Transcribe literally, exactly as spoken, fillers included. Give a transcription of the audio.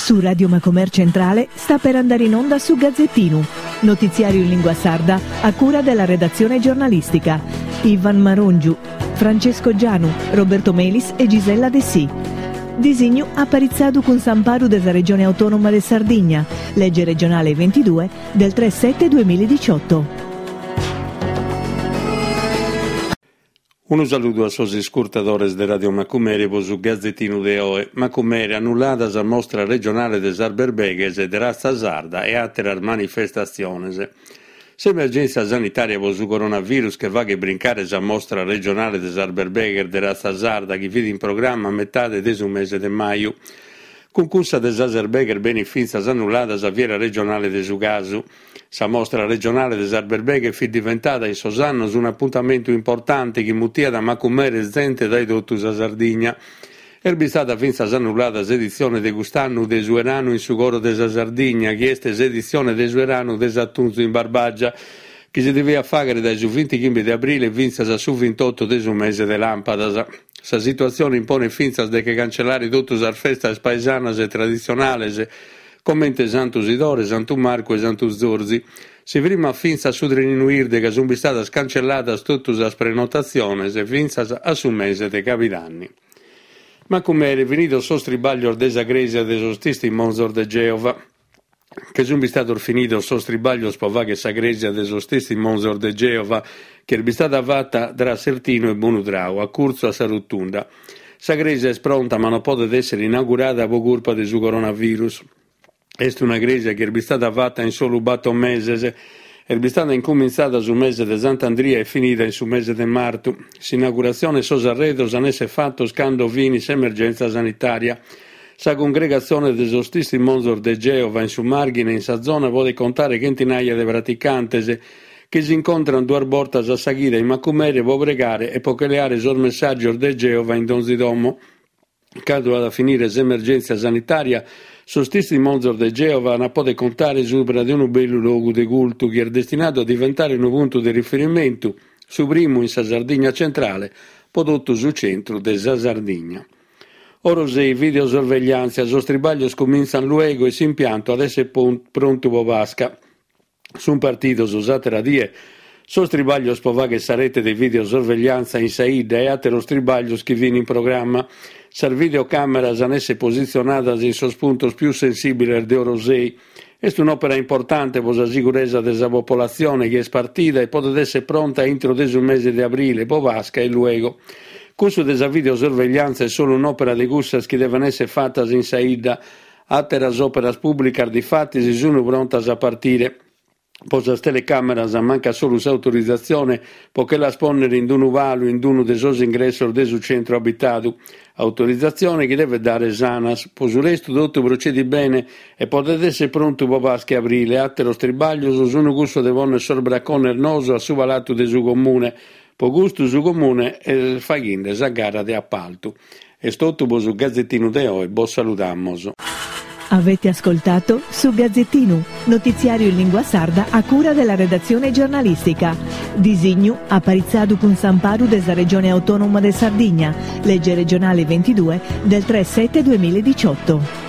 Su Radio Macomer Centrale sta per andare in onda su Gazzettinu, notiziario in lingua sarda a cura della redazione giornalistica. Ivan Marongiu, Francesco Gianu, Roberto Melis e Gisella Dessì. Disignu aparitzadu cun s'amparu de sa Regione Autonoma de Sardigna, legge regionale ventidue del tre sette duemiladiciotto. Unu saludu a sos iscurtadores de Radio Macumere pro su Gazzettinu de oe. Macumere annullada sa mostra regionale de sas berbeghes de razza sarda e àteras manifestatziones. S'emergèntzia sanitària pro su coronavirus che faghet brincare sa mostra regionale de sas berbeghes de razza sarda chi fit in programma a metade de su mese de maju. Cun cussa de sas berbeghes benit fintzas annullada sa fiera regionale de su casu. Sa mostra regionale de sas berbeghes fit diventada in sos annos un'apuntamentu importante chi mutiat a Macumere zente dae totu sa Sardigna. Est bistada fintzas annullada s'editzione de cust'annu de su 'Eranu in su coro de sa Sardigna, chi est s'editzione de su 'Eranu de s'atunzu in Barbagia, chi si deviat fàghere dae su vintichimbe de abrile fintzas a su vintotto de su mese de làmpadas. Sa situatzione imponet fintzas de che cancellare totu sas festas paesanas e traditzionales, comente Santu Sidore, Santu Marcu e Santu Zorzi. Si frimmat fintzas su treninu 'irde ca sunt bistadas cancelladas totu sas prenotatziones fintzas a su mese de Cabidanni. Macumere, finidos sos tribaglios de sa crèsia de sos Testimonzos de Geova. Che sunt bistados finidos sos tribaglios pro fagher sa crèsia de sos Testimonzos de Geova, chi est bistada fata tra Sertinu e Bonudrau, a curtzu a sa Rotunda. Sa crèsia est pronta ma non podet èssere inaugurada pro curpa de su coronavirus. Est una crèsia chi est bistada fata in solu bator meses. Est bistada incumintzada su mese de Sant'Andria e finida in su mese de martu. S'inauguratzione e sos arredos an esser fatos cando finit s'emergèntzia sanitària. Sa cungregatzione de sos Testimonzos de Geova in su Màrghine in sa zona podet contare chentinaia de praticantes chi s'incontrant duas bortas a sa chida in Macumere pro pregare e pro che leare sos messàgios de Geova in donzi domo. Cando at a finire s'emergèntzia sanitària, sos Testimonzos de Geova an a poder contare subra de unu bellu logu de cultu chi est destinadu a diventare unu puntu de riferimentu, su primu in sa Sardigna centrale, pro totu su centru de sa Sardigna. Orosei, videosorvegliàntzia, sos tribaglios comintzant luego e s'impiantu at esser prontu pro Pasca. Sunt partidos s'àtera die sos tribaglios pro fagher sa rete de videosorvegliàntzia in sa 'idda e àteros tribaglios chi fin in programma. Sas videocàmeras an esser positzionadas in sos puntos pius sensìbiles de Orosei. Est un'òpera importante pro sa siguresa de sa popolatzione chi est partida e podet esser pronta intro de su mese de abrile, pro Pasca e luego. Cussu de sa videosorvegliàntzia est solu un'òpera de cussas chi deven esser fatas in sa 'idda. Àteras òperas pùblicas difatis sunt prontas a partire. Pro sas telecàmeras mancat solu s'autorizatzione pro che las pònnere in unu palu in unu de sos ingressos de su centru abitadu. Autorizatzione chi devet dare s'ANAS. Pro su restu totu procedit bene e podet esser prontu pro Pasca e abrile. Àteros tribaglios sunt cussos de pònnere sos bracones noos a su palatu de su Comune. Pro custu su Comune est faghende sa gara de apaltu. Est totu pro su Gazzettinu de oe, bos saludamos. Avete ascoltato su Gazzettinu, notiziario in lingua sarda a cura della redazione giornalistica. Disignu aparitzadu cun s'amparu de sa Regione Autonoma de Sardigna, legge regionale ventidue del tre sette duemiladiciotto.